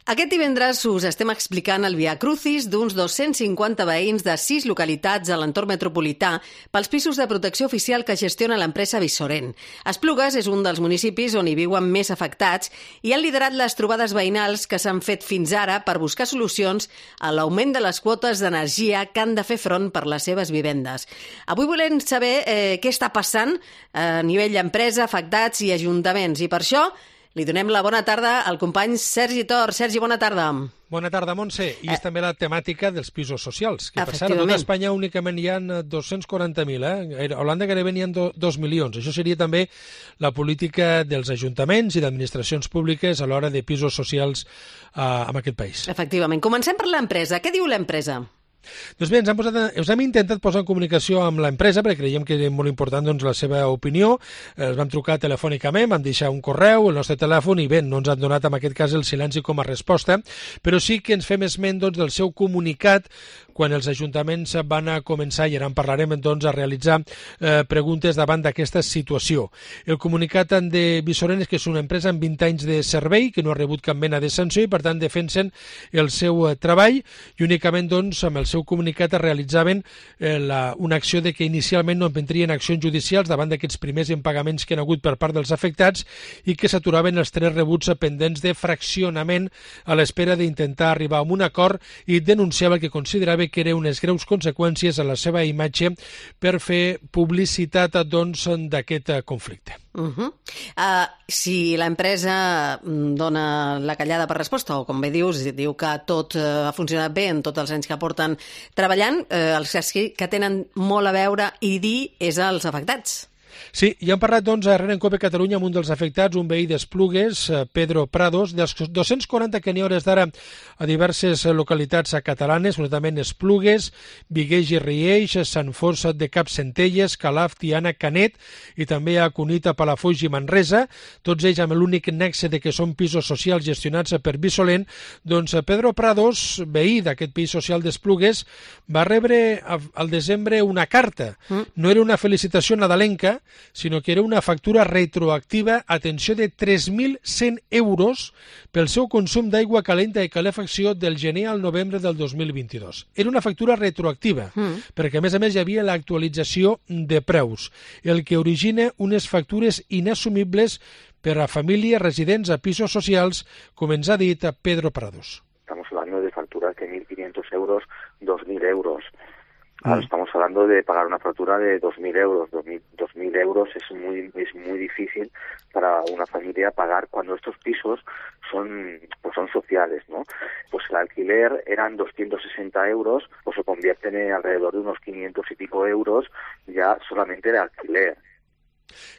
Aquest divendres us estem explicant el Via Crucis d'uns 250 veïns de 6 localitats a l'entorn metropolità pels pisos de protecció oficial que gestiona l'empresa Vissorent. Esplugues és un dels municipis on hi viuen més afectats i han liderat les trobades veïnals que s'han fet fins ara per buscar solucions a l'augment de les quotes d'energia que han de fer front per les seves vivendes. Avui volem saber què està passant a nivell d'empresa, afectats i ajuntaments, i per això li donem la bona tarda al company Sergi Tor. Sergi, bona tarda. Bona tarda, Montse. I és també la temàtica dels pisos socials, que per cert, a tot Espanya únicament hi ha 240.000, A Holanda gairebé n'hi ha 2 milions. Això seria també la política dels ajuntaments i d'administracions públiques a l'hora de pisos socials en aquest país. Efectivament. Comencem per l'empresa. Què diu l'empresa? Doncs bé, ens hem intentat posar en comunicació amb l'empresa perquè creiem que és molt important la seva opinió. Els vam trucar telefònicament, vam deixar un correu, el nostre telèfon, i bé, no ens han donat en aquest cas el silenci com a resposta, però sí que ens fem esment del seu comunicat quan els ajuntaments van a començar, i ara en parlarem, a realitzar preguntes davant d'aquesta situació. El comunicat de Vissorent és que és una empresa amb 20 anys de servei, que no ha rebut cap mena de sanció i, per tant, defensen el seu treball i únicament, amb el seu comunicat es realitzaven una acció de que inicialment no prendrien accions judicials davant d'aquests primers impagaments que han hagut per part dels afectats i que s'aturaven els 3 rebuts pendents de fraccionament a l'espera d'intentar arribar a un acord, i denunciava que considerava que eren unes greus conseqüències a la seva imatge per fer publicitat d'aquest conflicte. Si l'empresa dona la callada per resposta, o com bé dius, diu que tot ha funcionat bé en tots els anys que porten treballant, els que tenen molt a veure i dir és als afectats. Sí, i hem parlat, a RN Cope Catalunya amb un dels afectats, un veí d'Esplugues, Pedro Prados, dels 240 que n'hi ha hores d'ara a diverses localitats catalanes, notablement Esplugues, Vigueix i Rieix, Sant Fost de Capcentelles, Calaf, Tiana, Canet, i també a Cunit, Palafolls i Manresa, tots ells amb l'únic nexe de que són pisos socials gestionats per Vissorent. Doncs Pedro Prados, veí d'aquest pis social d'Esplugues, va rebre al desembre una carta. No era una felicitació nadalenca, sinó que era una factura retroactiva, atenció, de 3.100 euros pel seu consum d'aigua calenta i calefacció del gener al novembre del 2022. Era una factura retroactiva, perquè a més hi havia l'actualització de preus, el que origina unes factures inassumibles per a famílies residents a pisos socials, com ens ha dit Pedro Prados. Estamos hablando de facturas de 1.500 euros, 2.000 euros. Ahora estamos hablando de pagar una factura de 2.000 euros. 2.000 euros es muy difícil para una familia pagar cuando estos pisos son sociales, ¿no? Pues el alquiler eran 260 euros, pues se convierten en alrededor de unos 500 y pico euros ya solamente de alquiler.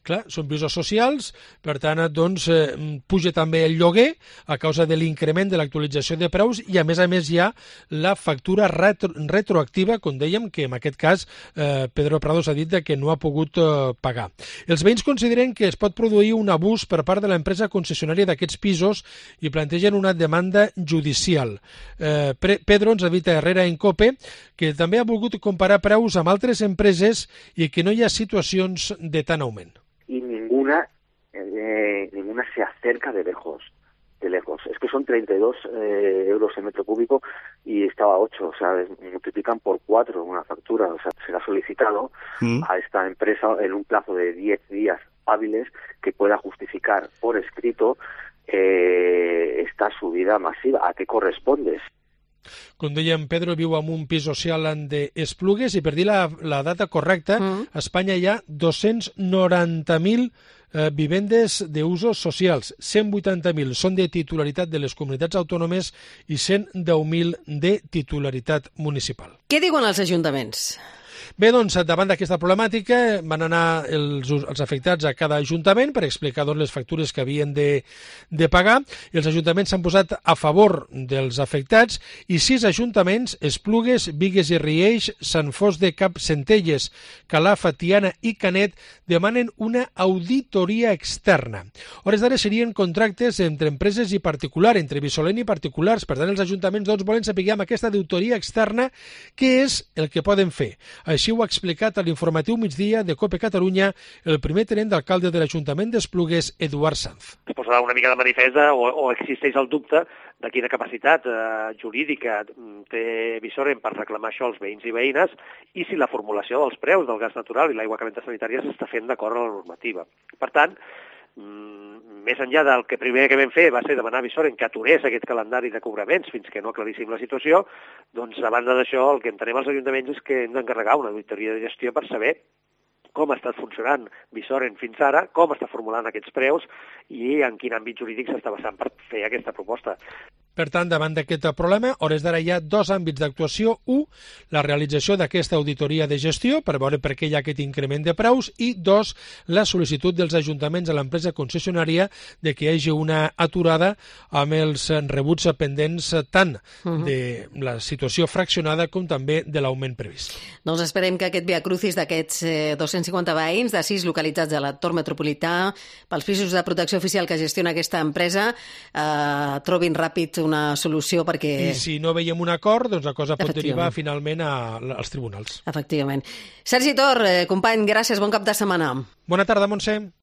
Clar, són pisos socials, per tant, puja també el lloguer a causa de l'increment de l'actualització de preus, i a més hi ha la factura retroactiva, com dèiem, que en aquest cas Pedro Prados ha dit que no ha pogut pagar. Els veïns consideren que es pot produir un abús per part de l'empresa concessionària d'aquests pisos i plantegen una demanda judicial. Pedro ens ha dit a Herrera en Cope que també ha volgut comparar preus amb altres empreses i que no hi ha situacions de tant augment. Y ninguna se acerca de lejos. Es que son 32 euros el metro cúbico y estaba 8, o sea, multiplican por 4 una factura. O sea, se le ha solicitado a esta empresa en un plazo de 10 días hábiles que pueda justificar por escrito esta subida masiva. ¿A qué corresponde? Com dèiem, Pedro viu en un pis social d'Esplugues, i per dir la data correcta, a Espanya hi ha 290.000 vivendes d'usos socials. 180.000 són de titularitat de les comunitats autònomes i 110.000 de titularitat municipal. Què diuen els ajuntaments? Bé, davant d'aquesta problemàtica van anar els afectats a cada ajuntament per explicar les factures que havien de pagar, i els ajuntaments s'han posat a favor dels afectats, i 6 ajuntaments, Esplugues, Vigues i Rieix, Sant Fost de Capcentelles, Calaf, Tiana i Canet, demanen una auditoria externa. A hores d'ara serien contractes entre empreses i particular, entre Vissorent i particulars. Per tant, els ajuntaments volen saber amb aquesta auditoria externa què és el que poden fer. Així ho ha explicat a l'informatiu migdia de COPE Catalunya el primer tinent d'alcalde de l'Ajuntament d'Esplugues, Eduard Sanz. Es posa una mica de manifest o existeix el dubte de quina capacitat jurídica té Visorren per reclamar això als veïns i veïnes i si la formulació dels preus del gas natural i l'aigua calenta sanitària s'està fent d'acord amb la normativa. Per tant, més enllà del que primer que vam fer va ser demanar a Visorren que aturés aquest calendari de cobraments fins que no aclaríssim la situació, doncs a banda d'això el que entenem als ajuntaments és que hem d'encarregar una auditoria de gestió per saber com ha estat funcionant Visorren fins ara, com està formulant aquests preus i en quin àmbit jurídic s'està basant per fer aquesta proposta. Per tant, davant d'aquest problema, a hores d'ara hi ha dos àmbits d'actuació. Un, la realització d'aquesta auditoria de gestió per veure per què hi ha aquest increment de preus i dos, la sol·licitud dels ajuntaments a l'empresa concessionària de que hi hagi una aturada amb els rebuts pendents tant de la situació fraccionada com també de l'augment previst. Doncs esperem que aquest viacrucis d'aquests 250 veïns de 6 localitats de l'entorn metropolità pels pisos de protecció oficial que gestiona aquesta empresa trobin ràpid una solució perquè... I si no veiem un acord, doncs la cosa pot derivar finalment als tribunals. Efectivament. Sergi Tor, company, gràcies, bon cap de setmana. Bona tarda, Montse.